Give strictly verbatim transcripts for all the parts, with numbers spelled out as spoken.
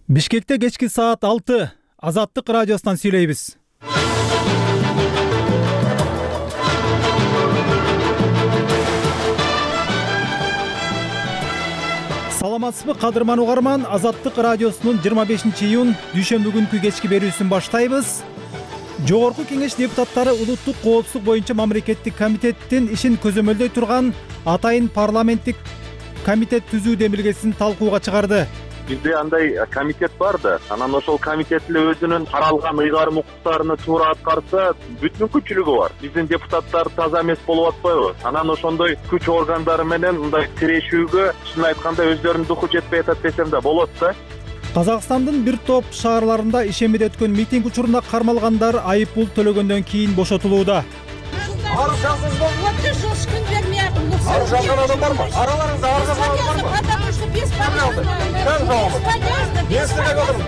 Бишкекте кечки саат алты. Азаттык радиосунан сүйлөйбүз. Саламатсызбы кадырман угарман, Азаттык радиосунун жыйырма бешинчи июнь дүйшөмбү күнкү кечки берүүсүн баштайбыз. Жогорку Кеңеш депутаттары улуттук коопсуздук боюнча мамлекеттик комитеттин ишин көзөмөлдөй турган атайын парламенттик комитет түзүү демилгесин талкууга чыгарды. Бизде андай комитет бар да, анан ошол комитет эле өзүнүн каралган ыйгарым укуктарыны туура аткарса, бүт мүмкүнчүлүгү бар. Биздин депутаттар таза эмес болуп атпайбы? Анан ошондой күч органдары менен мындай тирешүүгө, чын айтканда өздөрүнүн духу жетпей атат десем да болот да. Казакстандын бир топ шаарларында ишемиде өткөн митинг учурунда кармалгандар айып пул төлөгөндөн кийин бошотулууда. Арыз жаздыңызбы? Жош күн бермей атым. Арыз жазган адам бармы? Араларыңызда арыз жазган адам бармы? Потому что без подъезда. Кем жауабы? Без подъезда.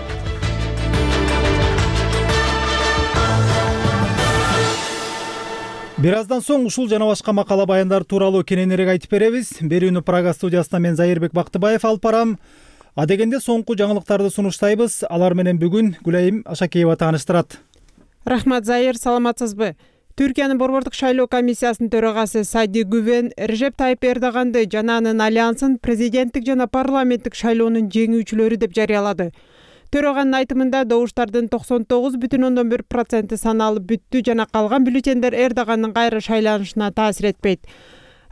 Бир аздан соң ушул жана башка макала баяндар тууралуу кененирээк айтып беребиз. Берүүнү Прага студиясынан мен Зайырбек Бактыбаев алып барам. Адегенде соңку жаңылыктарды сунуштайбыз. Алар менен бүгүн Гүлайым Ашакеева тааныштырат. Рахмат, Зайыр, саламатсызбы? Түркиянын борбордук шайлоо комиссиясынын төрагасы Сади Гүвен Режеп Тайып Эрдоганды жана анын альянсын президенттик жана парламенттик шайлоонун жеңүүчүлөрү деп жарыялады. Төраганын айтымында добуштардын токсон тогуз бүтүн ондон бир проценти саналып бүттү жана калган бюллетендер Эрдогандын кайра шайланышына таасир этпейт.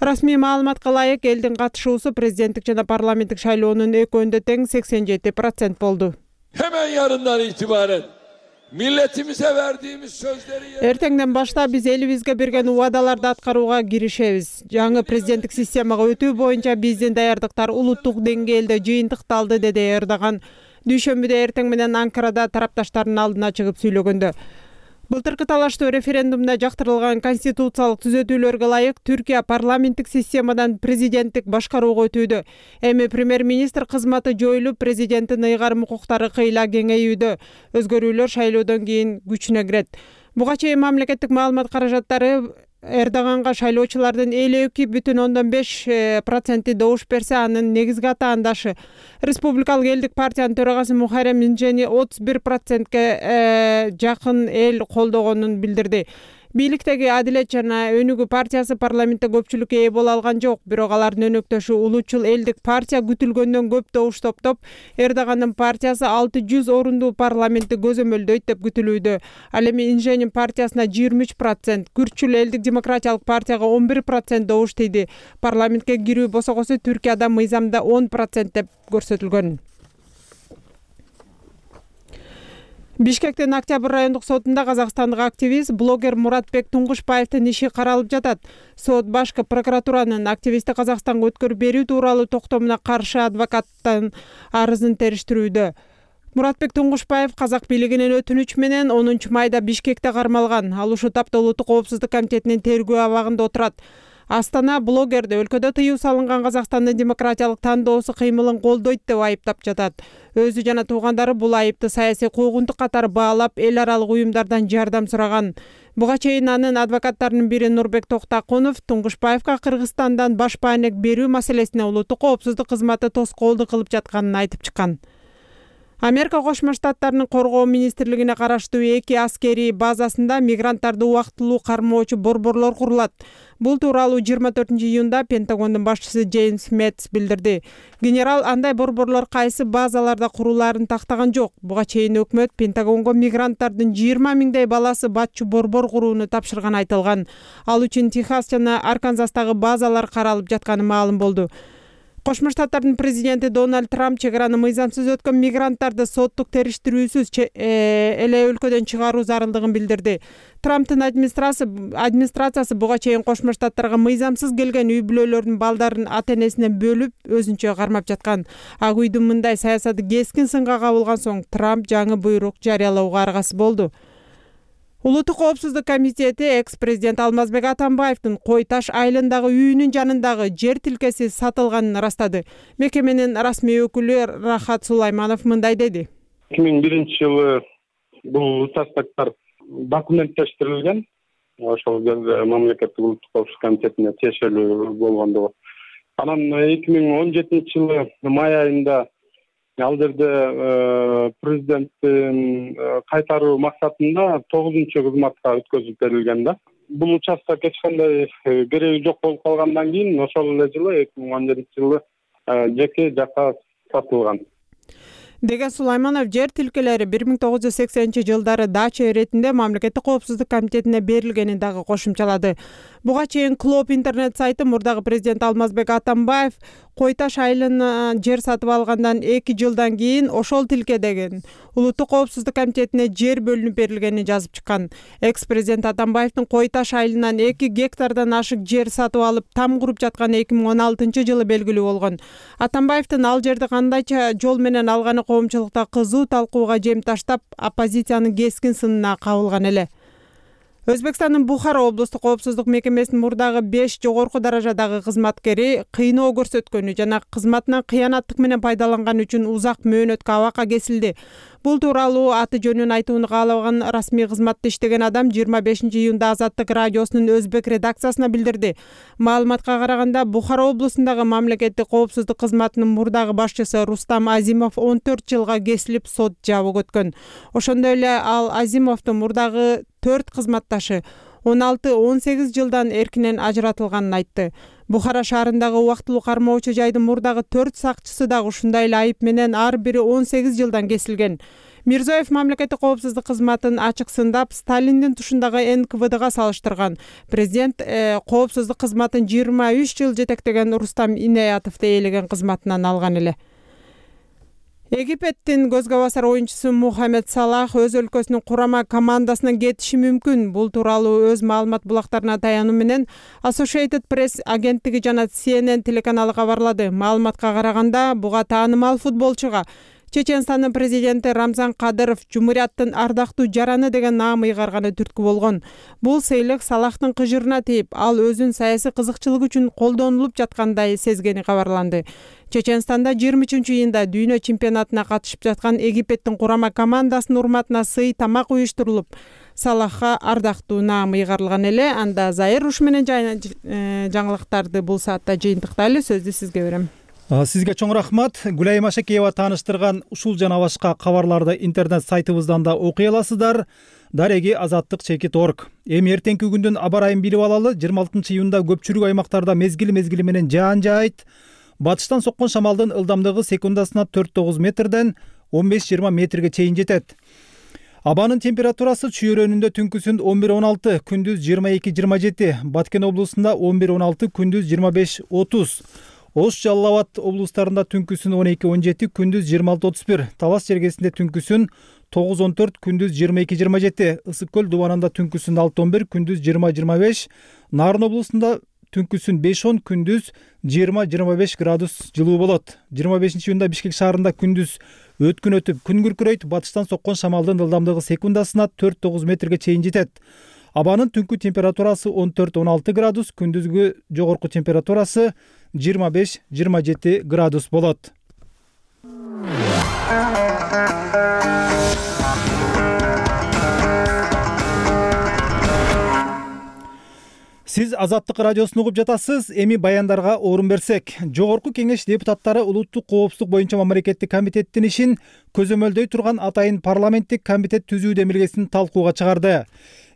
Расмий маалыматка ылайык, элдин катышуусу президенттик жана парламенттик шайлоонун экөөндө тең сексен жети процент болду. Hemen yarından itibaren milletimize verdiğimiz sözleri Эртеңден баштап биз элибизге берген убадаларды аткарууга киришебиз. Жаңы президенттик системага өтүү боюнча биздин даярдыктар улуттук деңгээлде жыйынтыкталды, деди Эрдоган дүйшөмбүдө эртең менен Анкарада тарапташтардын алдына чыгып сүйлөгөндө. Былтыркы талаштуу референдумда жактырылган конституциялык түзөтүүлөргө ылайык Түркия парламенттик системадан президенттик башкарууга өтүүдө. Эми премьер-министр кызматы жоюлуп, президенттин ыйгарым укуктары кыйла кеңейүүдө. Өзгөрүүлөр шайлоодон кийин күчүнө кирет. Буга чейин мамлекеттик маалымат каражаттары Эрдоганга шайлоочулардын элүү эки бүтүн ондон беш проценти добуш берсе, анын негизги атаандашы Республикалык элдик партиянын төрагасы Мухаррем Инжени отуз бир процентке жакын эл колдогонун билдирди. Бийликтеги Адилет жана Өнүгүү партиясы парламентте көпчүлүккө ээ боло алган жок, бирок алардын өнөктөшү Улуучул элдик партия күтүлгөндөн көп добуш топтоп, Эрдогандын партиясы алты жүз орундуу парламентти көзөмөлдөйт деп күтүлүүдө. Ал эми Инженин партиясына жыйырма үч процент, Күрчүл элдик демократиялык партияга он бир процент добуш тийди. Парламентке кирүү босогосу Түркияда мыйзамда он процент деп көрсөтүлгөн. Бишкектин Октябрь райондук сотунда казакстандык активист, блогер Муратбек Туңгушбаевдин иши каралып жатат. Сот башкы прокуратуранын активистти Казакстанга өткөрүп берүү тууралуу токтомуна каршы адвокаттын арызын териштирүүдө. Муратбек Туңгушбаев казак бийлигинин өтүнүч менен онунчу майда Бишкекте кармалган. Ал ушул тапта Улуттук коопсуздук комитетинин тергөө абагында отурат. Астана блогерди өлкөдө тыюу салынган Казакстандын демократиялык тандоосу кыймылын колдойт деп айыптап жатат. Өзү жана туугандары бул айыпты саясий куугунтук катары баалап, эл аралык уюмдардан жардам сураган. Буга чейин анын адвокаттарынын бири Нурбек Токтакунов Туңгушбаевга Кыргызстандан баш баанек берүү маселесине Улуттук коопсуздук кызматы тоскоолдук кылып жатканын айтып чыккан. Америка Кошмо Штаттарынын коргоо министрлигине караштуу эки аскерий базасында мигранттарды убактылуу кармоочу борборлор курулат. Бул тууралуу жыйырма төртүнчү июнда Пентагондун башчысы Джеймс Мэтс билдирди. Генерал андай борборлор кайсы базаларда курулаарын тактаган жок. Буга чейин өкмөт Пентагонго мигранттардын жыйырма миңдей баласы батчу борбор курууну тапшырган айтылган. Ал үчүн Техас жана Арканзастагы базалар каралып жатканы маалым болду. Кошмо Штаттардын президенти Дональд Трамп чек араны мыйзамсыз өткөн мигранттарды соттук териштирүүсүз эле өлкөдөн чыгаруу зарылдыгын билдирди. Трамптын администрациясы буга чейин Кошмо Штаттарга мыйзамсыз келген үй бүлөлөрдүн балдарын ата-энесинен бөлүп, өзүнчө кармап жаткан. Ак үйдүн мындай саясаты кескин сынга кабылган соң Трамп жаңы буйрук жарыялоого аргасыз болду. Улуттук коопсуздук комитети экс-президент Алмазбек Атамбаевдин Кой Таш айылындагы үйүнүн жанындагы жер тилкеси сатылганын ырастады. Мекеменин расмий өкүлү Рахат Сулайманов мындай деди. эки миң биринчи жылы бул участоктор документтештирилген. Ошол кезде мамлекеттик улуттук коопсуздук комитетине тиешелүү болгондугу. Анан эки миң он жетинчи жылы май айында Ал жерде президенттин кайтаруу максатында тогузунчу кызматка өткөзүп берилген да. Бул участок эч кандай кереги жок болуп калгандан кийин ошол эле жылы эки миң он жетинчи жылы жеке жакка сатылган. Деген Сулайманов жер тилкелери бир миң тогуз жүз сексенинчи жылдары дача иретинде мамлекеттик коопсуздук комитетине берилгенин дагы кошумчалады. Буга чейин Клоп интернет сайты мурдагы президент Алмазбек Атамбаев Кой Таш айылына жер сатып алгандан эки жылдан кийин ошол тилкедеген Улуттук коопсуздук комитетине жер бөлүнүп берилгенин жазып чыккан. Экс-президент Атамбаевдин Кой Таш айылынан эки гектардан ашык жер сатып алып там куруп жатканы эки миң он алтынчы жылы белгилүү болгон. Атамбаевдин ал жерди кандайча жол менен алганы коомчулукта кызуу талкууга жем таштап, оппозициянын кескин сынына кабылган эле. Өзбекстандын Бухара облустук коопсуздук мекемесинин мурдагы беш жогорку даражадагы кызматкери кыйноо көрсөткөнү жана кызматынан кыянаттык менен пайдаланган үчүн узак мөөнөткө абакка кесилди. Бул тууралуу аты жөнүн айтууну каалаган расмий кызматта иштеген адам жыйырма бешинчи июнда Азаттык радиосунун өзбек редакциясына билдирди. Маалыматка караганда, Бухара облусундагы мамлекеттик коопсуздук кызматынын мурдагы башчысы Рустам Азимов он төрт жылга кесилип сот жабык өткөн. Ошондой эле ал Азимовдун мурдагы төрт кызматташы он алты он сегиз жылдан эркинен ажыратылганын айтты. Бухара шаарындагы убактылуу кармоочу жайдын мурдагы төрт сакчысы дагы ушундай эле айып менен ар бири он сегиз жылдан кесилген. Мирзоев мамлекеттик коопсуздук кызматын ачык сындап, Сталиндин тушундагы эн ка вэ дга салыштырган. Президент э, коопсуздук кызматын жыйырма үч жыл жетектеген Рустам Инаятовду ээлеген кызматынан алган эле. Египеттин көзгө басар оюнчусу Мухаммед Салах өз өлкөсүнүн курама командасынан кетиши мүмкүн. Бул тууралуу өз маалымат булактарына таянуу менен Associated Press агенттиги жана Си Эн Эн телеканалы кабарлады. Маалыматка караганда, буга таанымал футболчуга Чеченстандын президенти Рамзан Кадыров Жумурияттын ардактуу жараны деген наам ыйгарганы түрткү болгон. Бул сыйлык Салахтын кыжырына тийип, ал өзүн саясий кызыкчылык үчүн колдонулуп жаткандай сезгени кабарланды. Чеченстанда жыйырма үчүнчү июнда дүйнө чемпионатына катышып жаткан Египеттин курама командасынын урматына сый тамак уюштурулуп, Салахка ардактуу наам ыйгарылган эле. Анда Зайыр ушу менен жаңылыктарды бул саатта жыйынтыктайлы. Сөздү сизге берем. Сизге чоң рахмат. Гүлайым Ашекеева тааныштырган ушул жана башка кабарларды интернет сайтыбыздан да окуй аласыздар. Дареги азаттык чекит точка орг. Эми эртеңки күндүн аба ырайын билип алалы. жыйырма алтынчы июнда көпчүлүк аймактарда мезгил мезгили менен жаан жаайт. Батыштан соккон шамалдын ылдамдыгы секундасына төрт тогуз метрден он беш жыйырма метрге чейин жетет. Абанын температурасы чүйөрөнүндө түнкүсүн он бир он алты, күндүз жыйырма эки жыйырма жети, Баткен облусунда он бир он алты, күндүз жыйырма беш отуз. Ош Жалал Абад облустарында түнкүсүн он эки он жети, күндүз жыйырма алты отуз бир, Талас жергесинде түнкүсүн тогуз он төрт, күндүз жыйырма эки жыйырма жети, Ысык көл дубанында түнкүсүн алты он бир, күндүз жыйырма жыйырма беш, Нарын облусунда түнкүсүн беш он, күндүз жыйырма жыйырма беш градус жылуу болот. жыйырма бешинчи июнда Бишкек шаарында күндүз өткүн өтүп күн күркүрөйт, батыштан соккон шамалдын ылдамдыгы секундасына төрт тогуз метрге чейин жетет. Абанын түнкү температурасы он төрт он алты градус, күндүзгү жогорку температурасы жыйырма беш жыйырма жети градус болот. Сиз Азаттык радиосун угуп жатасыз. Эми баяндарга орун берсек, Жогорку Кеңеш депутаттары улуттук коопсуздук боюнча мамлекеттик комитеттин ишин көзөмөлдөй турган атайын парламенттик комитет түзүү демилгесин талкууга чыгарды.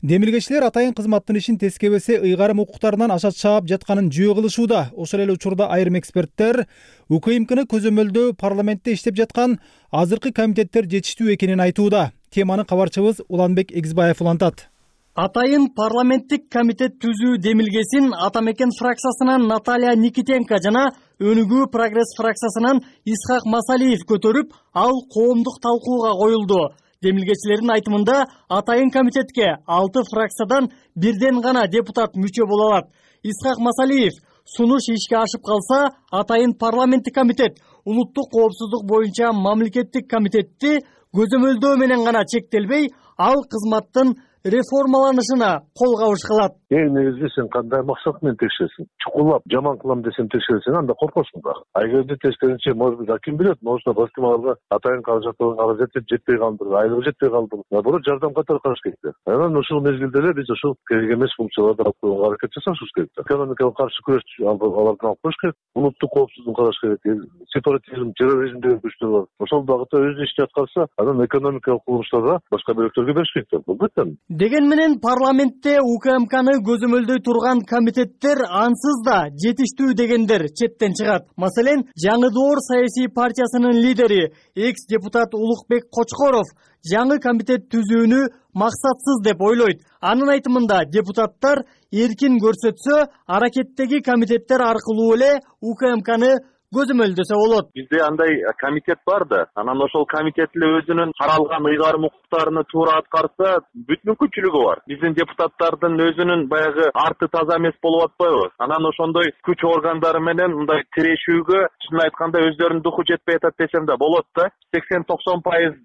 Демилгечилер атайын кызматтын ишин тескебесе ыйгарым укуктарынан аша чаап жатканын жөө кылышууда. Ошол эле учурда айрым эксперттер УКМКны көзөмөлдөө парламентте иштеп жаткан азыркы комитеттер жетиштүү экенин айтууда. Теманы кабарчыбыз Уланбек Эгизбаев улантат. Атайын парламенттик комитет түзүү демилгесин Атамекен фракциясынан Наталья Никитенко жана Өнүгүү прогресс фракциясынан Исхак Масалиев көтөрүп, ал коомдук талкууга коюлду. Демилгечилердин айтымында атайын комитетке алты фракциядан бирден гана депутат мүчө боло алат. Исхак Масалиев сунуш ишке ашып калса, атайын парламенттик комитет улуттук коопсуздук боюнча мамлекеттик комитетти көзөмөлдөө менен гана чектелбей, ал кызматтын реформаланышына кол кабыш кылат. Эң негизи сен кандай максат менен текшересиң? Чукулап жаман кылам десем текшересиң, анда коркосуң да. А эгерде тескерисинче, может быть, ким билет, может балким аларга атайын каражаттын каражаты жетпей калдыр, айлыгы жетпей калдыр. Наоборот, жардам катары караш керек. Анан ушул мезгилде эле биз ушул керек эмес функцияларды алып койгонго аракет жасашыбыз керек. Экономикага каршы күрөш алардан алып коюш керек, улуттук коопсуздукту караш керек. Сепаратизм, терроризм деген күчтөр бар. Ошол багытта өз ишин аткарса, анан экономикалык курулуштарга башка бөлөктөргө бериш керек. Бул бөтөн. Деген менен парламентте УКМКны көзөмөлдөй турган комитеттер ансыз да жетиштүү дегендер четтен чыгат. Маселен, Жаңы Доор саясий партиясынын лидери, экс-депутат Улукбек Кочкоров жаңы комитет түзүүнү максатсыз деп ойлойт. Анын айтымында депутаттар эркин көрсөтсө, аракеттеги комитеттер аркылуу эле УКМКны көзөмөлдөсө болот. Бизде андай комитет бар да, анан ошол комитет эле өзүнүн каралган ыйгарым укуктарыны туура аткарса, бүт мүмкүнчүлүгү бар. Биздин депутаттардын өзүнүн баягы арты таза эмес болуп атпайбы? Анан ошондой күч органдары менен мындай тирешүүгө, чынын айтканда өздөрүнүн духу жетпей атат десем да болот да. сексен токсон пайыз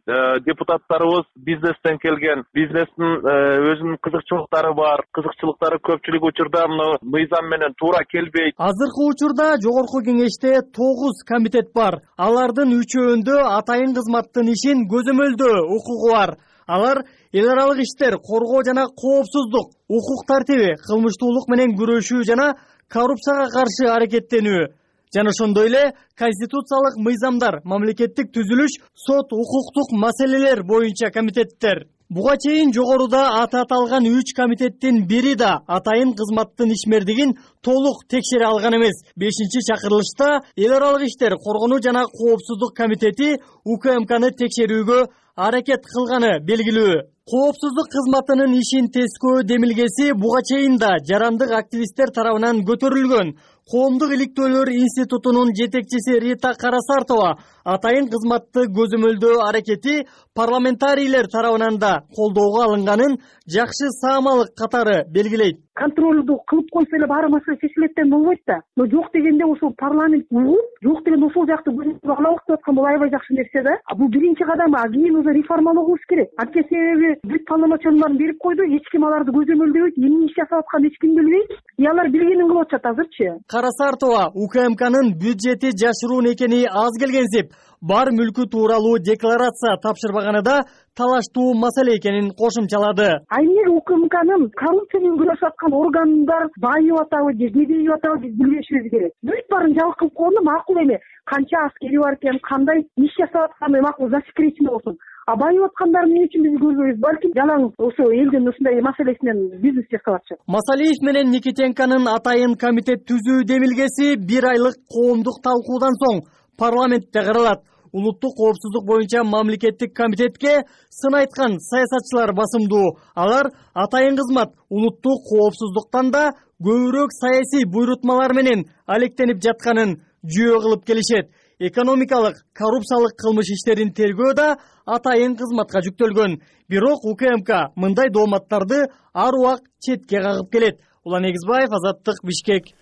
депутаттарыбыз бизнестен келген, бизнестин өзүнүн кызыкчылыктары бар, кызыкчылыктары көпчүлүк учурда мына мыйзам менен туура келбейт. Азыркы учурда жогорку кеңеште тогуз комитет бар. Алардын үчөөндө атайын кызматтын ишин көзөмөлдөө укугу бар. Алар эл аралык иштер, коргоо жана коопсуздук, укук тартиби, кылмыштуулук менен күрөшүү жана коррупцияга каршы аракеттенүү жана ошондой эле конституциялык мыйзамдар, мамлекеттик түзүлүш, сот, укуктук маселелер боюнча комитеттер. Буга чейин жогоруда аты аталган үч комитеттин бири да атайын кызматтын ишмердигин толук текшере алган эмес. бешинчи чакырылышта эл аралык иштер, коргонуу жана коопсуздук комитети УКМКны текшерүүгө аракет кылганы белгилүү. Коопсуздук кызматынын ишин тескөө демилгеси буга чейин да жарандык активисттер тарабынан көтөрүлгөн. Коомдук иликтөөлөр институтунун жетекчиси Рита Карасартова атайын кызматты көзөмөлдөө аракети парламентарийлер тарабынан да колдоого алынганын жакшы саамалык катары белгилейт. Контролду кылып койсо эле баары маселе чечилеттен болбойт да. Но жок дегенде ошол парламент угуп, жок деген ошол жакты көзөмөлгө алабык деп аткан бул аябай жакшы нерсе да. Бул биринчи кадам, а кийин уже реформалообуз керек. Анткени себеби бүт полномочияларын берип койду, эч ким аларды көзөмөлдөбөйт, эмне иш жасап атканын эч ким билбейт. И алар билгенин кылып атышат азырчы. Карасартова УКМКнын бюджети жашыруун экени аз келгенсип, бар мүлкү тууралуу декларация тапшырбаганы да талаштуу маселе экенин кошумчалады. А эмне УКМКнын коррупция менен күрөшүп аткан органдар байып атабы же кедейип атабы биз билишибиз керек. Бүт баарын жабык кылып койгондо макул эме. Канча аскери бар экен, кандай иш жасап атканы макул засекречено болсун. А байып аткандар эмне үчүн биз көрбөйбүз? Балким жалаң ошо элдин ушундай маселесинен бизнес жасап атышат. Масалиев менен Никитенконун атайын комитет түзүү демилгеси бир айлык коомдук талкуудан соң парламентте каралат. Улуттук коопсуздук боюнча мамлекеттик комитетке сын айткан саясатчылар басымдуу. Алар атайын кызмат улуттук коопсуздуктан да көбүрөөк саясий буйрутмалар менен алектенип жатканын жүйө кылып келишет. Экономикалык, коррупциялык кылмыш иштерин тергөө да атайын кызматка жүктөлгөн. Бирок УКМК мындай дооматтарды ар убак четке кагып келет. Улан Эгизбаев, Азаттык, Бишкек.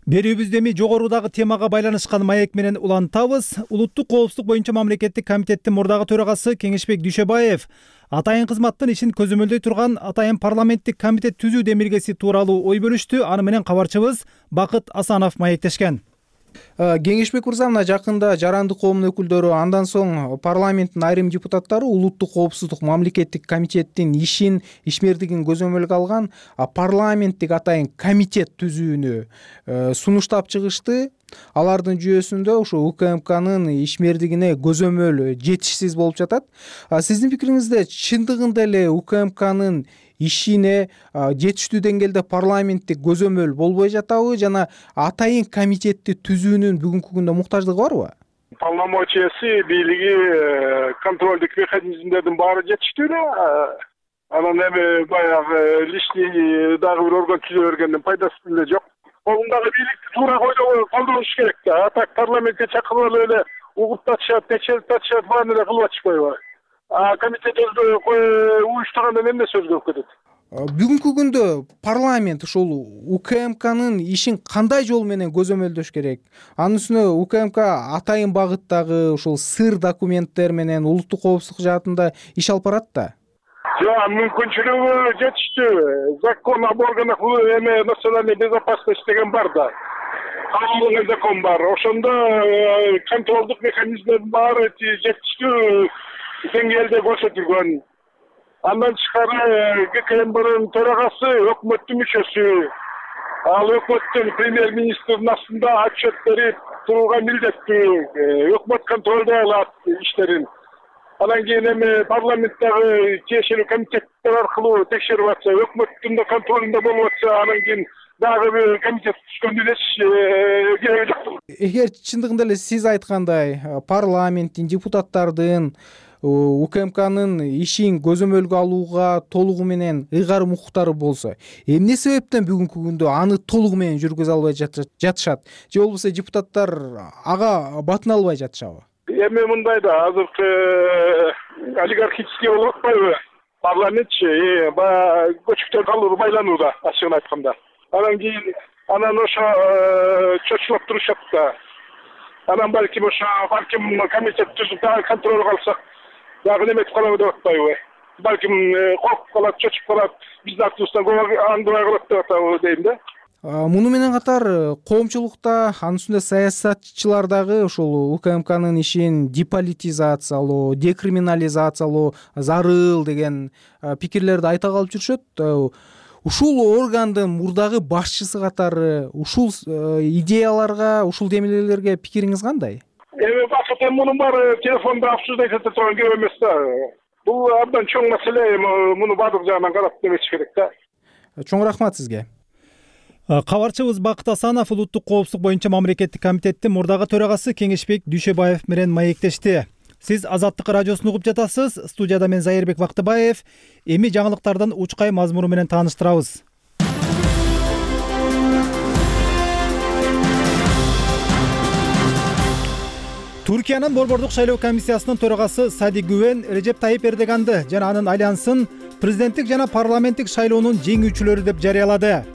Берүүбүздө эми жогорудагы темага байланышкан маек менен улантабыз. Улуттук коопсуздук боюнча мамлекеттик комитеттин мурдагы төрагасы Кеңешбек Дүйшөбаев атайын кызматтын ишин көзөмөлдөй турган атайын парламенттик комитет түзүү демилгеси тууралуу ой бөлүштү. Аны менен кабарчыбыз Бакыт Асанов маектешкен. Кеңешбек мырза, мына жакында жарандык коомдун өкүлдөрү, андан соң парламенттин айрым депутаттары улуттук коопсуздук мамлекеттик комитеттин ишин, ишмердигин көзөмөлгө алган парламенттик атайын комитет түзүүнү сунуштап чыгышты. Алардын жүйөсүндө ошо УКМКнын ишмердигине көзөмөл жетишсиз болуп жатат. Сиздин пикириңизде чындыгында эле УКМКнын ишине жетиштүү деңгээлде парламенттик көзөмөл болбой жатабы жана атайын комитетти түзүүнүн бүгүнкү күндө муктаждыгы барбы? Полномочиясы, бийлиги, контролдук механизмдердин баары жетиштүү эле. Анан эми баягы лишний дагы бир орган түзө бергендин пайдасы деле жок. Колундагы бийликти туура колдоnuш керек да. А так парламентке чакырып эле угуп татышат, текшерип татышат, баарын эле кылып атышпайбы? А комитет өзү уюштурганда эмне сөз көп кетет? Бүгүнкү күндө парламент ушул УКМКнын ишин кандай жол менен көзөмөлдөш керек? Анын үстүнө УКМК атайын багыттагы ушул сыр документтер менен улуттук коопсуздук жаатында иш алып барат да. жок, мүмкүнчүлүгү жетиштүү. Закон об органах эме национальной безопасности деген бар да. Кабыл закон бар. Ошондо контролдук механизмдердин баары жетиштүү деңгээлде көрсөтүлгөн. Андан тышкары ГКМБнын төрагасы өкмөттүн мүчөсү. Ал өкмөттүн премьер-министрдин астында отчет берип турууга милдеттүү. Өкмөт контролдой алат иштерин. Анан кийин эми парламенттагы тиешелүү комитеттер аркылуу текшерип атса, өкмөттүн да контролунда болуп атса, анан кийин дагы бир комитет түзгөндүн эч кереги жок. Эгер чындыгында эле сиз айткандай парламенттин, депутаттардын УКМКнын ишин көзөмөлгө алууга толугу менен ыйгарым укуктары болсо, эмне себептен бүгүнкү күндө аны толугу менен жүргүзө албай жатышат? Же болбосо депутаттар ага батына албай жатышабы? Эми мындай да, азыркы олигархический болуп атпайбы? Парламентчи баягы көчүктөр калуу байланууда, ачыгын айтканда. Анан кийин анан ошо чочулап турушат да. Анан балким ошо балким комитет түзүп дагы контролго алсак, дагы неметип калабы деп атпайбы? Балким коркуп калат, чочуп калат, биздин артыбыздан аңдыбай калат деп атабы дейм да. Муну менен катар коомчулукта, анын үстүндө саясатчылар дагы ушул УКМКнын ишин деполитизациялоо, декриминализациялоо зарыл деген пикирлерди айта калып жүрүшөт. Ушул органдын мурдагы башчысы катары ушул идеяларга, ушул демилгелерге пикириңиз кандай? Эми бакыт эми мунун баары телефондо обсуждать эте турган көп эмес да. Бул абдан чоң маселе, муну баардык жагынан карап неметиш керек да. Чоң рахмат сизге. Кабарчыбыз Бакыт Асанов улуттук коопсуздук боюнча мамлекеттик комитеттин мурдагы төрагасы Кеңешбек Дүйшөбаев менен маектешти. Сиз Азаттык радиосун угуп жатасыз. Студияда мен Зайырбек Бактыбаев. Эми жаңылыктардан учкай мазмуну менен тааныштырабыз. Туркиянын Борбордук шайлоо комиссиясынын төрагасы Сади Гүвен Режеп Тайип Эрдоганды жана анын альянсын президенттик жана парламенттик шайлоонун жеңүүчүлөрү деп жарыялады.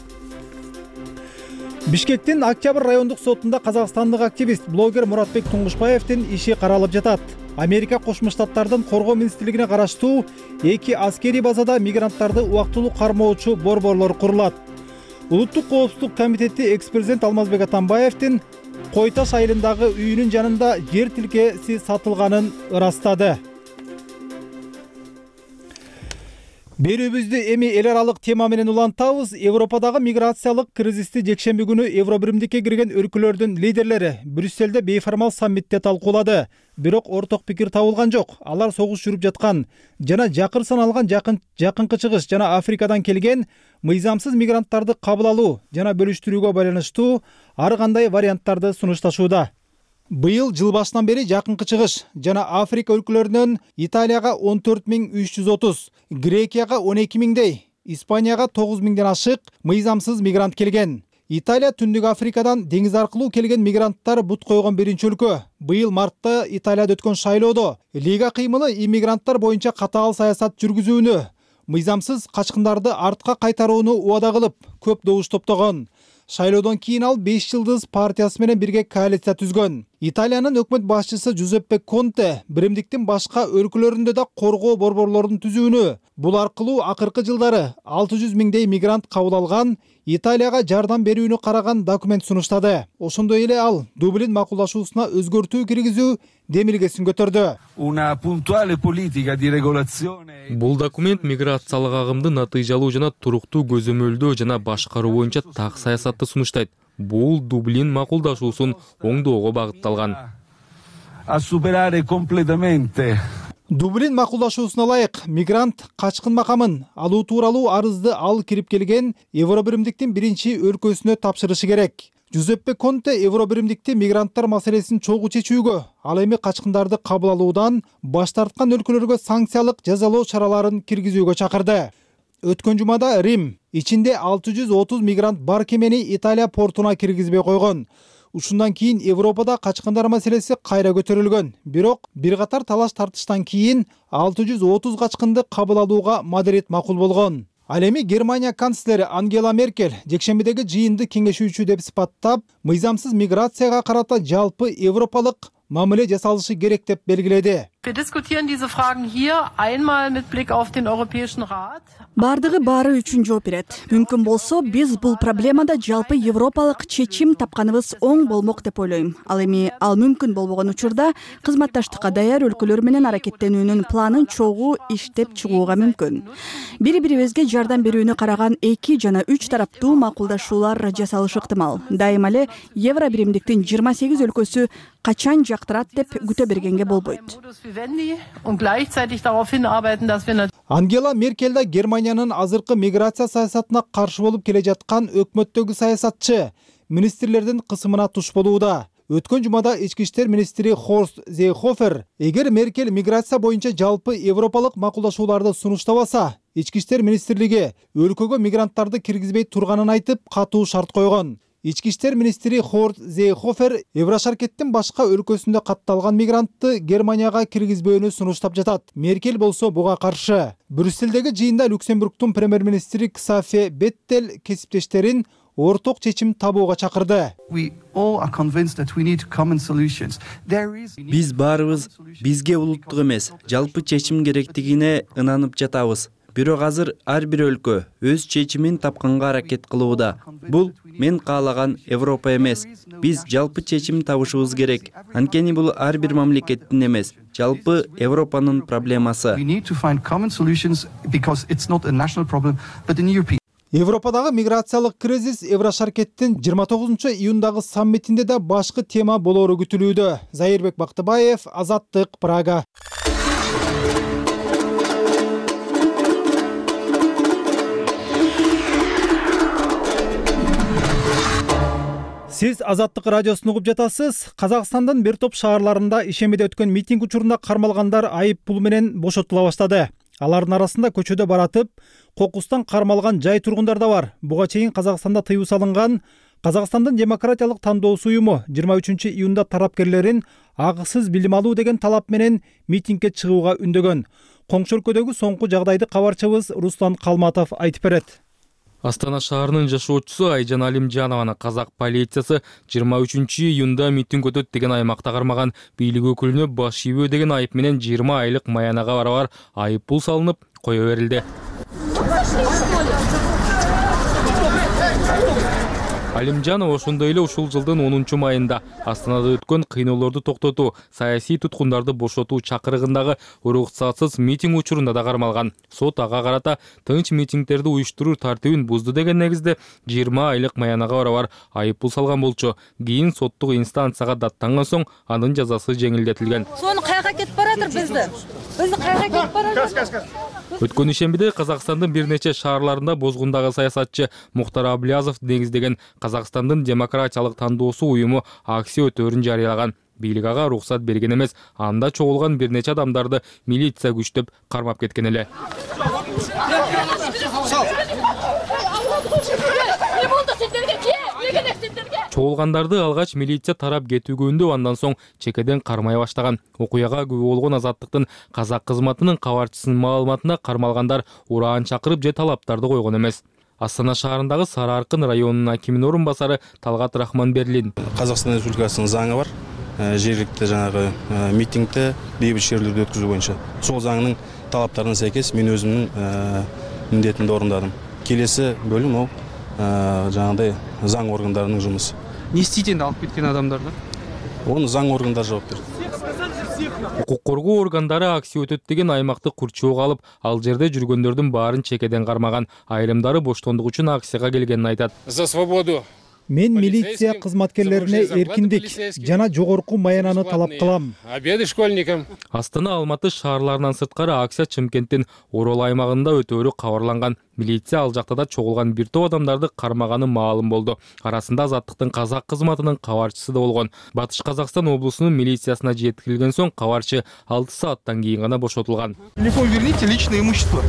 Бишкектин Октябрь райондук сотунда казакстандык активист, блогер Муратбек Туңгушбаевдин иши каралып жатат. Америка Кошмо Штаттардын коргоо министрлигине караштуу эки аскерий базада мигранттарды убактылуу кармоочу борборлор курулат. Улуттук коопсуздук комитети экс-президент Алмазбек Атамбаевдин Кой Таш айылындагы үйүнүн жанында жер тилкеси сатылганын ырастады. Берүүбүздү эми эл аралык тема менен улантабыз. Европадагы миграциялык кризисти жекшемби күнү Евробиримдикке кирген өлкөлөрдүн лидерлери Брюсселде бейформал саммитте талкуулады. Бирок орток пикир табылган жок. Алар согуш жүрүп жаткан жана жакыр саналган жакын жакынкы чыгыш жана Африкадан келген мыйзамсыз мигранттарды кабыл алуу жана бөлүштүрүүгө байланыштуу ар кандай варианттарды сунушташууда. Быйыл жыл башынан бери жакынкы чыгыш жана Африка өлкөлөрүнөн Италияга он төрт миң үч жүз отуз, Грекияга он эки миңдей, Испанияга тогуз миңден ашык мыйзамсыз мигрант келген. Италия Түндүк Африкадан деңиз аркылуу келген мигранттар бут койгон биринчи өлкө. Быйыл мартта Италияда өткөн шайлоодо Лига кыймылы иммигранттар боюнча катаал саясат жүргүзүүнү, мыйзамсыз качкындарды артка кайтарууну убада кылып, көп добуш топтогон. Шайлоодон кийин ал беш жылдыз партиясы менен бирге коалиция түзгөн. Италиянын өкмөт башчысы Джузеппе Конте биримдиктин башка өлкөлөрүндө да коргоо борборлорун түзүүнү, бул аркылуу акыркы жылдары алты жүз миңдей мигрант кабыл алган, Италияга жардам берүүнү караган документ сунуштады. Ошондой эле ал Дублин макулдашуусуна өзгөртүү киргизүү демилгесин көтөрдү. Бул документ миграциялык агымды натыйжалуу жана туруктуу көзөмөлдөө жана башкаруу боюнча так саясатты сунуштайт. Бул Дублин макулдашуусун оңдоого багытталган. Дублин макулдашуусуна ылайык мигрант качкын макамын алуу тууралуу арызды ал кирип келген Евробиримдиктин биринчи өлкөсүнө тапшырышы керек. Джузеппе Конте Евробиримдикти мигранттар маселесин чогуу чечүүгө, ал эми качкындарды кабыл алуудан баш тарткан өлкөлөргө санкциялык жазалоо чараларын киргизүүгө чакырды. Өткөн жумада Рим ичинде алты жүз отуз мигрант бар кемени Италия портуна киргизбей койгон. Ушундан кийин Европада качкындар маселеси кайра көтөрүлгөн. Бирок бир катар талаш тартыштан кийин алты жүз отуз качкынды кабыл алууга Мадрид макул болгон. Ал эми Германия канцлери Ангела Меркель жекшембидеги жыйынды кеңешүүчү деп сыпаттап, мыйзамсыз миграцияга карата жалпы европалык мамиле жасалышы керек деп белгиледи. Wir diskutieren diese Fragen hier einmal mit Blick auf den Europäischen Rat. Бардыгы баары үчүн жооп берет. Мүмкүн болсо биз бул проблемада жалпы европалык чечим тапканыбыз оң болмок деп ойлойм. Ал эми ал мүмкүн болбогон учурда кызматташтыкка даяр өлкөлөр менен аракеттенүүнүн планын чогуу иштеп чыгууга мүмкүн. Бири-бирибизге жардам берүүнү караган эки жана үч тараптуу макулдашуулар жасалышы ыктымал. Дайыма эле евро биримдиктин жыйырма сегиз өлкөсү качан жактырат деп күтө бергенге болбойт. Ангела Меркель да Германиянын азыркы миграция саясатына каршы болуп келе жаткан өкмөттөгү саясатчы. Министрлердин кысымына туш болууда. Өткөн жумада ички иштер министри Хорст Зейхофер эгер Меркель миграция боюнча жалпы европалык макулдашууларды сунуштабаса, ички иштер министрлиги өлкөгө мигранттарды киргизбей турганын айтып, катуу шарт койгон. Ички иштер министри Хорст Зейхофер Еврошаркеттин башка өлкөсүндө катталган мигрантты Германияга киргизбөөнү сунуштап жатат. Меркель болсо буга каршы. Брюссельдеги жыйында Люксембургдун премьер-министри Ксафе Беттел кесиптештерин орток чечим табууга чакырды. Биз баарыбыз бизге улуттук эмес, жалпы чечим керектигине ынанып жатабыз. Бирок азыр ар бир өлкө өз чечимин тапканга аракет кылууда. Бул мен каалаган Европа эмес. Биз жалпы чечим табышыбыз керек. Анткени бул ар бир мамлекеттин эмес, жалпы Европанын проблемасы. Европадагы миграциялык кризис Еврошаркеттин жыйырма тогузунчу июндагы саммитинде да башкы тема болоору күтүлүүдө. Зайырбек Бактыбаев, Азаттык, Прага. Сиз Азаттык радиосун угуп жатасыз. Казакстандын бир топ шаарларында ишемеде өткөн митинг учурунда кармалгандар айып пул менен бошотула баштады. Алардын арасында көчөдө баратып, кокустан кармалган жай тургундар да бар. Буга чейин Казакстанда тыюу салынган Казакстандын демократиялык тандоосу уюму жыйырма үчүнчү июнда тарапкерлерин агысыз билим алуу деген талап менен митингге чыгууга үндөгөн. Коңшу өлкөдөгү соңку жагдайды кабарчыбыз Руслан Калматов айтып берет. Астана шаарынын жашоочусу Айжан Алимжанованы казак полициясы жыйырма үчүнчү июнда митинг өтөт деген аймакта кармаган бийлик өкүлүнө баш ийбөө деген айып менен жыйырма айлык маянага барабар айып пул салынып кое берилди. Алимжанов ошондой эле ушул жылдын онунчу майында Астанада өткөн кыйноолорду токтотуу, саясий туткундарды бошотуу чакырыгындагы уруксатсыз митинг учурунда да кармалган. Сот ага карата тынч митингдерди уюштуруу тартибин бузду деген негизде жыйырма айлык маянага барабар айып пул салган болчу. Кийин соттук инстанцияга даттанган соң анын жазасы жеңилдетилген. Сону кайга кетип баратыр бизди? Бизди кайга кетип баратыр? Өткөн ишембиде Казакстандын бир нече шаарларында бозгундагы саясатчы Мухтар Аблязов негиздеген Казакстандын демократиялык тандоосу уюму акция өтөөрүн жарыялаган. Бийлик ага уруксат берген эмес, анда чогулган бир нече адамдарды милиция күчтөп кармап кеткен эле. Чогулгандарды алгач милиция тарап кетүүгөндө, андан соң чекеден кармай баштаган. Окуяга күбө болгон Азаттыктын казак кызматынын кабарчысынын маалыматында кармалгандар ураан чакырып же талаптарды койгон эмес. Астана шаарындагы Сары Аркын районунун акиминин орун басары Талгат Рахманберлин. Казакстан Республикасынын заңы бар. Жергиликтүү жанагы митингде бейбит шерулерди өткөзүү боюнча. Сол заңдын талаптарына сайкес мен өзүмдүн милдетимди орундадым. Келесі бөлүм ол жанагындай заң органдарынын жумушу. Не істейді енді алып кеткен адамдарды? Оны заң органдары жооп берет. Укук коргоо органдары акция өтөт деген аймакты курчоого алып, ал жерде жүргөндөрдүн баарын чекеден кармаган. Айрымдары боштондук үчүн акцияга келгенин айтат. За свободу. Мен милиция кызматкерлерине эркиндик жана жогорку маянаны талап кылам. Обеды школьникам. Астана, Алматы шаарларынан сырткары акция Чымкенттин Орол аймагында өтөөрү кабарланган. Милиция ал жакта да чогулган бир топ адамдарды кармаганы маалым болду. Арасында Азаттыктын казак кызматынын кабарчысы да болгон. Батыш Казакстан облусунун милициясына жеткирилген соң кабарчы алты сааттан кийин гана бошотулган. Телефон верните, личное имущество.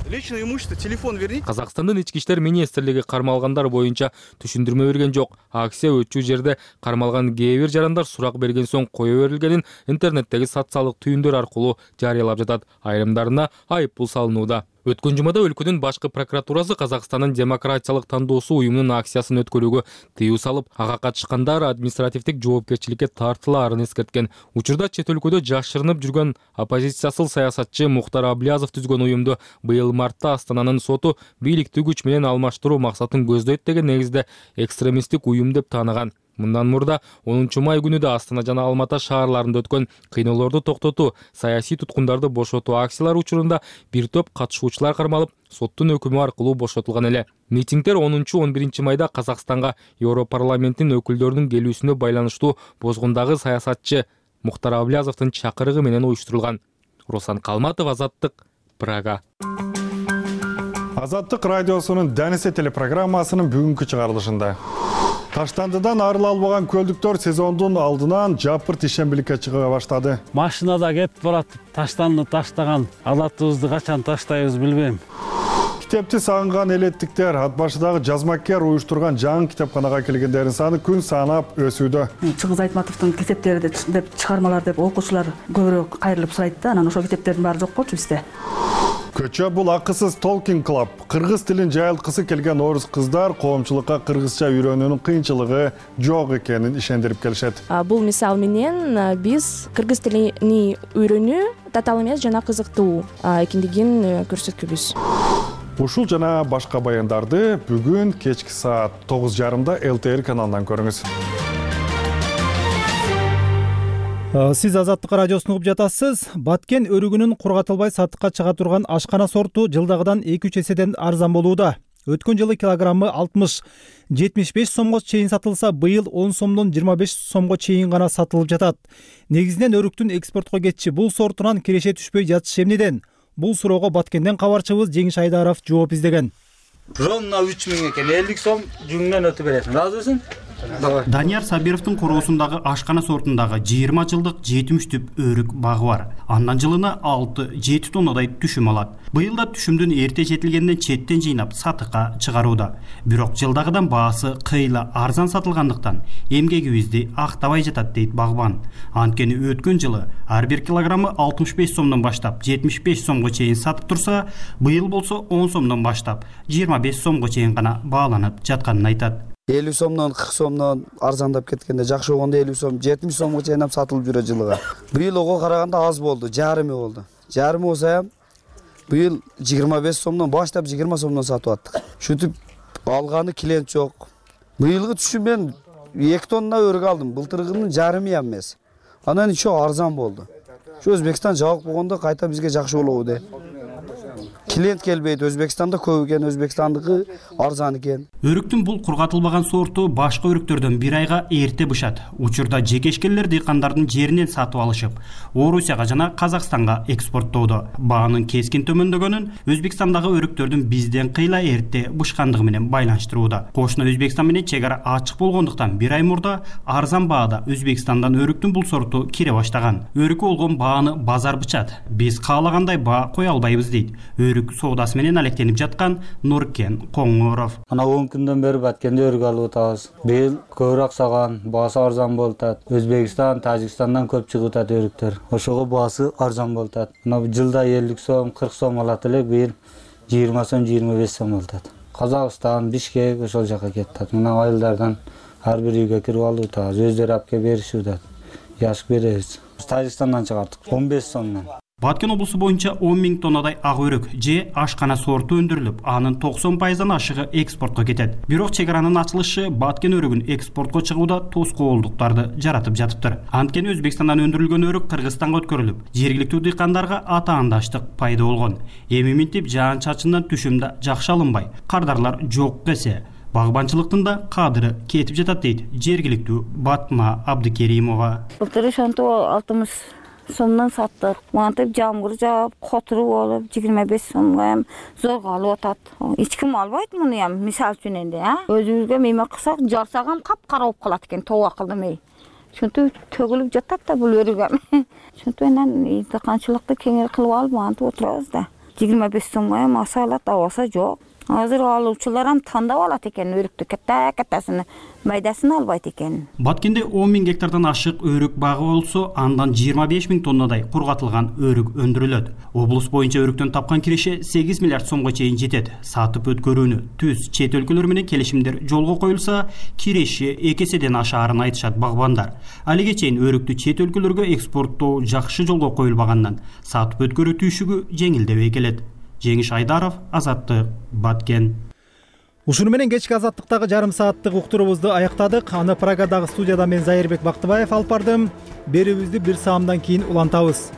Личное имущество, телефон верните. Казакстандын ички иштер министрлиги кармалгандар боюнча түшүндүрмө берген жок. Акция өтчү жерде кармалган кээ бир жарандар сурак берген соң кое берилгенин интернеттеги социалдык түйүндөр аркылуу жарыялап жатат. Айрымдарына айып пул салынууда. Өткөн жумада өлкөнүн башкы прокуратурасы Казакстандын демократиялык тандоосу уюмунун акциясын өткөрүүгө тыюу салып, ага катышкандар административдик жоопкерчиликке тартылаарын эскерткен. Учурда чет өлкөдө жашырынып жүргөн оппозициясыл саясатчы Мухтар Аблязов түзгөн уюмду быйыл мартта Астананын соту бийликтүү күч менен алмаштыруу максатын көздөйт деген негизде экстремисттик уюм деп тааныган. Мындан мурда онунчу май күнү да Астана жана Алматы шаарларында өткөн кыйноолорду токтотуу, саясий туткундарды бошотуу акциялары учурунда бир топ катышуучулар кармалып, соттун өкүмү аркылуу бошотулган эле. Митингдер онунчу он биринчи майда Казакстанга Европарламенттин өкүлдөрүнүн келүүсүнө байланыштуу бозгундагы саясатчы Мухтар Аблязовдун чакырыгы менен уюштурулган. Руслан Калматов, Азаттык, Прага. Азаттык радиосунун Денисе телепрограммасынын бүгүнкү чыгарылышында Таштандыдан арыла албаган көлдүктөр сезондун алдынан жапырт ишембиликке чыга баштады. Машинада кетип барат, таштанды таштаган, алатыбызды качан таштайбыз билбейм. Китепти сагынган элеттиктер ат башыдагы жазмакер уюштурган жаңы китепканага келгендердин саны күн санап өсүүдө. Чыңгыз Айтматовдун китептери деп чыгармалар деп окуучулар көбүрөөк кайрылып сурайт да, анан ошол китептердин баары жок болчу бизде. Көчө бул акысыз Talking Club. Кыргыз тилин жайылткысы келген орус кыздар коомчулукка кыргызча үйрөнүүнүн кыйынчылыгы жок экенин ишендирип келишет. Бул мисал менен биз кыргыз тилини үйрөнүү татаал эмес жана кызыктуу экендигин көрсөткүбүз. Ушул жана башка баяндарды бүгүн кечки саат тогуз жарымда эл ти эр каналынан көрүңүз. Сиз Азаттык радиосун угуп жатасыз. Баткен өрүгүнүн кургатылбай сатыкка чыга турган ашкана сорту жылдагыдан эки үч эседен арзан болууда. Өткөн жылы килограммы алтымыш жетимиш беш сомго чейин сатылса, быйыл он сомдон жыйырма беш сомго чейин гана сатылып жатат. Негизинен өрүктүн экспортко кетиши бул сортунан киреше түшпөй жатышы эмнеден? Бул суроого Баткенден кабарчыбыз Жеңиш Айдаров жооп издеген. Ровно үч миң экен, элүү сом жүңүнөн өтүп бересиң. Ыраазысың? Данияр Сабировдун короосундагы ашкана сортундагы жыйырма жылдык жетимиш түп өрүк багы бар. Андан жылына алты жети тоннадай түшүм алат. Быйыл да түшүмдүн эрте жетилгенден четтен жыйнап сатыкка чыгарууда. Бирок жылдагыдан баасы кыйла арзан сатылгандыктан эмгегибизди актабай жатат дейт багбан. Анткени өткөн жылы ар бир килограммы алтымыш беш сомдон баштап жетимиш беш сомго чейин сатып турса, быйыл болсо он сомдон баштап жыйырма беш сомго чейин гана бааланып жатканын айтат. элүү сомдон кырк сомдон арзандап кеткенде, жакшы болгондо элүү сом жетимиш сомго чейин сатылып жүрөт жылыга. Быйыл ого караганда аз болду, жарымы болду. Жарымы болсо ham быйыл жыйырма беш сомдон баштап жыйырма сомдон сатып аттык. Шүтүп алганы клиент жок. Быйылгы түшүм мен эки тонна өрүк алдым. Былтыргынын жарымы ham эмес. Анан ичи арзан болду. Şu Özbekistan жабык болгондо кайта бизге жакшы болобу де. Клиент келбейт, Өзбекстанда көп экен, Өзбекстандыкы арзан экен. Өрүктүн бул кургатылбаган сорту башка өрүктөрдөн бир айга эрте бышат. Учурда жекешкендер дыйкандардын жеринен сатып алышып, Орусияга жана Казакстанга экспорттоодо. Баанын кескин төмөндөгөнүн Өзбекстандагы өрүктөрдүн бизден кыйла эрте бышкандыгы менен байланыштырууда. Кошуна Өзбекстан менен чек ара ачык болгондуктан бир ай мурда арзан баада Өзбекстандан өрүктүн бул сорту кире баштаган. Өрүккө болгон бааны базар бычат. Биз каалагандай баа кое албайбыз дейт. Өрүк соодасы менен алектенип жаткан Нуркен Коңоров. Ана он күндөн бери Баткенде өрүк алып атабыз. Быйыл көбүрөөк саган, баасы арзан болуп атат. Өзбекстан, Тажикстандан көп чыгып атат өрүктөр. Ошого баасы арзан болуп атат. Мына жылда элүү сом, кырк сом алат элек, быйыл жыйырма сом, жыйырма беш сом болуп атат. Казакстан, Бишкек ошол жака кетет. Мына айылдардан ар бир үйгө кирип алып атабыз. Өздөрү алып келип беришип атат. Яшык беребиз. Тажикстандан чыгардык он беш сомдон. Баткен облусу боюнча он миң тоннадай ак өрүк же ашкана сорту өндүрүлүп, анын токсон пайыздан ашыгы экспортко кетет. Бирок чек аранын ачылышы Баткен өрүгүн экспортко чыгууда тоскоолдуктарды жаратып жатыптыр. Анткени Өзбекстандан өндүрүлгөн өрүк Кыргызстанга өткөрүлүп, жергиликтүү дыйкандарга атаандаштык пайда болгон. Эми минтип жаан-чачындан түшүм да жакшы алынбай, кардарлар жок десе, багбанчылыктын да кадыры кетип жатат дейт жергиликтүү Батма Абдыкеримова. Былтыр ошонтип алтымыш сомдон саттык. Мантип жамгыр жаап, котору болуп, жыйырма беш сомго ham зорго алып атат. Эч ким албайт муну ham, мисал үчүн энди, а? Өзүбүзгө мейме кылсак, жарсак ham капкара болуп калат экен, тоба кылдым эй. Ошентип төгүлүп жатат да бул өрүк ham. Ошентип анан дыйканчылыкты кеңири кылып алып, мантип отурабыз да. жыйырма беш сомго ham аса алат, абаса жок. азыр алуучулар ам тандап алат экен өрүктү, ката катасын, майдасын албайт экен. Баткенде он миң гектардан ашык өрүк багы болсо, андан жыйырма беш миң тоннадай кургатылган өрүк өндүрүлөт. Облус боюнча өрүктөн тапкан киреше сегиз миллиард сомго чейин жетет. Сатып өткөрүүнү түз чет өлкөлөр менен келишимдер жолго коюлса, киреше эки эседен ашаарын айтышат багбандар. Алиге чейин өрүктү чет өлкөлөргө экспорттоо жакшы жолго коюлбагандан сатып өткөрүү түйшүгү жеңилдебей келет. Жеңиш Айдаров, Азаттык, Баткен. Ушуну менен кечки Азаттыктагы жарым сааттык уктуруубузду аяктадык. Аны Прагадагы студияда мен Зайырбек Бактыбаев алып бардым. Берүүбүздү бир саамдан кийин улантабыз.